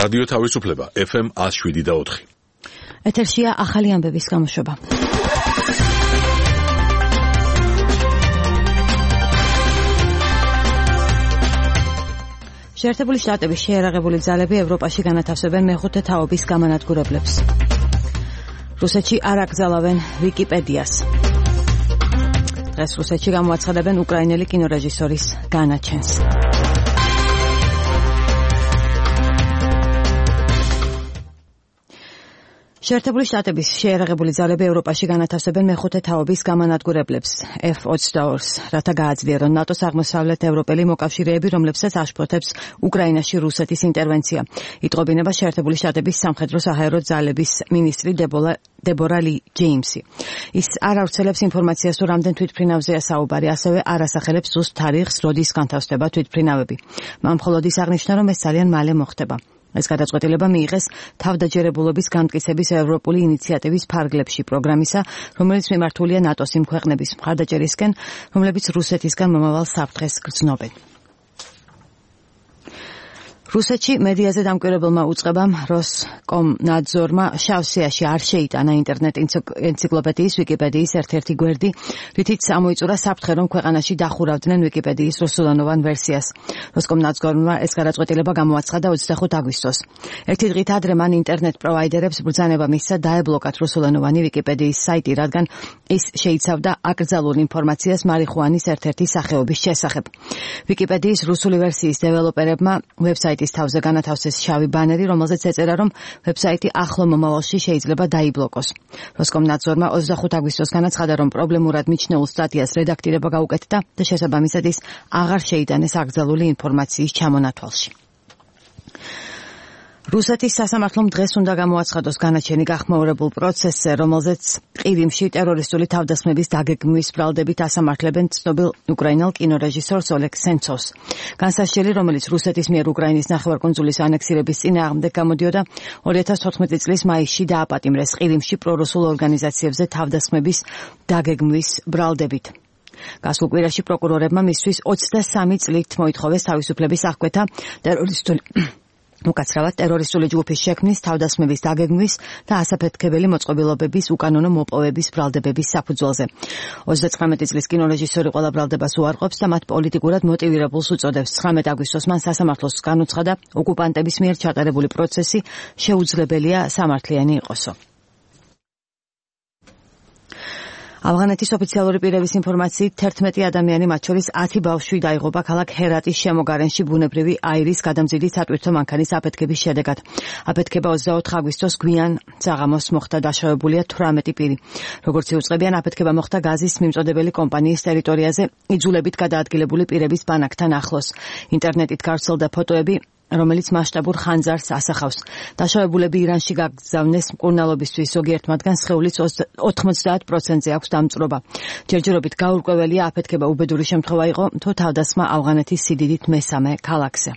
რადიო თავისუფლება FM 107.4. ეთერშია ახალი ამბების გამოშვება. შეერთებული შტატების შეიარაღებული ძალები ევროპაში განათავსებენ მეხუთე თაობის გამანადგურებლებს. რუსეთში არ აკრძალავენ ვიკიპედიას. დღეს რუსეთში გამოაცხადებენ უკრაინელი კინორეჟისორის განაჩენს. შეერთებული შტატების შეიარაღებული ძალები ევროპაში განათავსებენ მეხუთე თაობის გამანადგურებლებს F-22-ს, რათა გააძლიერონ ნატოს აღმოსავლეთ ევროპელი მოკავშირეები, რომლებსაც აშფოთებს უკრაინაში რუსეთის ინტერვენცია. იტყობინება შეერთებული შტატების სამხედრო საჰაერო ძალების მინისტრი დებორა ლი ჯეიმსი. ის არ ავრცელებს ინფორმაციას, თუ რამდენ თვითმფრინავზეა საუბარი, ასევე არ ასახელებს ზუსტ თარიღს, როდის განთავსდება თვითმფრინავები. მან მხოლოდ ის აღნიშნა, რომ ეს ძალიან მალე მოხდება. ეს გადაწყვეტილება მიიღეს თავდაჯერებულობის განმტკიცების ევროპული ინიციატივის ფარგლებში პროგრამისა, რომელიც მიმართულია ნატოს იმ ქვეყნების მხარდაჭერისკენ, რომლებიც რუსეთისგან მომავალ საფრთხეს გრძნობენ. რუსეთში მედიაზე დამკვირვებელმა უწყებამ როსკომნაძორმა შავსიაში არ შეიტანა ინტერნეტ ენციკლოპედიის ვიკიპედიის ერთ-ერთი გვერდი, რითიც ამოიწურა საფრთხე, რომ ქვეყანაში დახურავდნენ ვიკიპედიის რუსულენოვან ვერსიას. როსკომნაძორმა ეს გადაწყვეტილება გამოაცხადა 25 აგვისტოს. ერთი დღით ადრე მან ინტერნეტ პროვაიდერებს ბრძანება მისცა დაებლოკათ რუსულენოვანი ვიკიპედიის საიტი, რადგან ის შეიცავდა აკრძალულ ინფორმაციას მარიხუანის ერთ-ერთი სახეობის შესახებ. ვიკიპედიის რუსული ვერსიის დეველოპერებმა ვებსაიტის თავზე განათავსეს შავი ბანერი, რომელზეც ეწერა, რომ ვებსაიტი ახლო მომავალში შეიძლება დაიბლოკოს. როსკომნაძორმა 25 აგვისტოს განაცხადა, რომ პრობლემურად მიჩნეულ სტატიას რედაქტირება გაუკეთდა და შესაბამისად ის აღარ შეიტანეს აკრძალული ინფორმაციის ჩამონათვალში. რუსეთის სასამართლომ დღეს უნდა გამოაცხადოს განაჩენი გახმაურებულ პროცესზე, რომელზეც ყირიმში ტერორისტული თავდასხმების დაგეგმვის ბრალდებით ასამართლებენ ცნობილ უკრაინელ კინორეჟისორს ოლეგ სენცოვს. განსასჯელი, რომელიც რუსეთის მიერ უკრაინის ნახევარკუნძულის ანექსირების წინააღმდეგ გამოდიოდა, 2014 წლის მაისში დააპატიმრეს ყირიმში პრორუსულ ორგანიზაციებზე თავდასხმების დაგეგმვის ბრალდებით. გასულ კვირაში პროკურორებმა მისთვის 23 წლით მოითხოვეს თავისუფლების აღკვეთა უკაცრავად ტერორისტული ჯგუფის შექმნის, თავდასხმების დაგეგმვის და ასაფეთქებელი მოწყობილობების უკანონო მოპოვების ბრალდებების საფუძველზე. 39 წლის კინორეჟისორი ყველა ბრალდებას უარყოფს და მათ პოლიტიკურად მოტივირებულს უწოდებს. 19 აგვისტოს მან სასამართლოს განუცხადა, ოკუპანტების მიერ ჩატარებული პროცესი შეუძლებელია სამართლიანი იყოსო. ავღანეთის ოფიციალური პირების ინფორმაციით 11 ადამიანი, მათ შორის 10 ბავშვი დაიღუპა ქალაქ ჰერატის შემოგარენში ბუნებრივი აირის გადამზიდი სატვირთო მანქანის აფეთქების შედეგად. აფეთქება 24 აგვისტოს გვიან საღამოს მოხდა, დაშავებულია 18 პირი. როგორც იუწყებიან, აფეთქება მოხდა გაზის მიმწოდებელი კომპანიის ტერიტორიაზე, იძულებით გადაადგილებული პირების ბანაკთან ახლოს. ინტერნეტით გავრცელდა ფოტოები, რომელიც მასშტაბურ ხანძარს ასახავს. დაშავებულები ირანში გაგზავნეს მკურნალობისთვის, ზოგიერთ მათგანს სხეულის 90%-ზე აქვს დამწვრობა. ჯერჯერობით გაურკვეველია, აფეთქება უბედური შემთხვევა იყო, თუ თავდასხმა ავღანეთის სიდიდით მესამე ქალაქზე.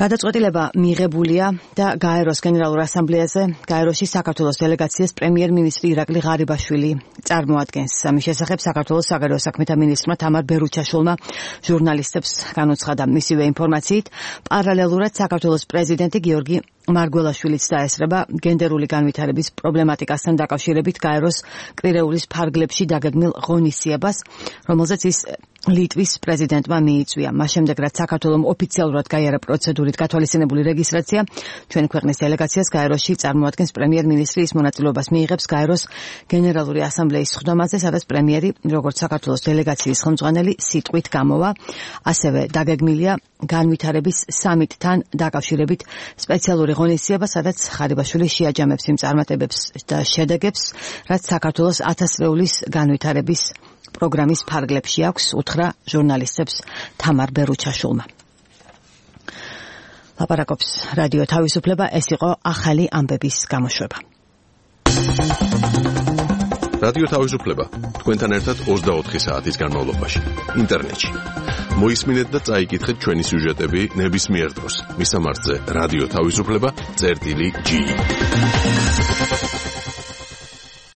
გადაწყვეტილება მიღებულია და გაეროს გენერალურ ასამბლეაზე გაეროში საქართველოს დელეგაციას პრემიერ-მინისტრი ირაკლი ღარიბაშვილი წარმოადგენს. ამის შესახებ საქართველოს საგარეო საქმეთა მინისტრმა თამარ ბერუჩაშვილმა ჟურნალისტებს განუცხადა. მისივე ინფორმაციით, პარალელურად საქართველოს პრეზიდენტი გიორგი მარგველაშვილიც დაესწრება გენდერული განვითარების პრობლემატიკასთან დაკავშირებით გაეროს კვირეულის ფარგლებში დაგეგმილ ღონისძიებას, რომელზეც ის ლიტვის პრეზიდენტმა მიიწვია. მას შემდეგ, რაც საქართველოს ოფიციალურად გაიარა პროცედურით გათვალისწინებული რეგისტრაცია, ჩვენი ქვეყნის დელეგაციას გაეროში წარმოადგენს პრემიერ-მინისტრი, ის მონაწილეობას მიიღებს გაეროს გენერალური ასამბლეის სხდომაზე, სადაც პრემიერი, როგორც საქართველოს დელეგაციის ხელმძღვანელი, სიტყვით გამოვა. ასევე დაგეგმილია განვითარების სამიტთან დაკავშირებით სპეციალური ღონისძიება, სადაც ღარიბაშვილი შეაჯამებს იმ წარმატებებს და შედეგებს, რაც საქართველოს 1000 წლეულის განვითარების პროგრამის ფარგლებში აქვს, უთხრა ჟურნალისტებს თამარ ბერუჩაშვილმა. ლაპარაკობს რადიო თავისუფლება, ეს იყო ახალი ამბების გამოშვება. რადიო თავისუფლება თქვენთან ერთად 24 საათის განმავლობაში ინტერნეტში. მოისმინეთ და წაიკითხეთ ჩვენი სიუჟეტები ნებისმიერ დროს. მისამართზე რადიო თავისუფლება.ge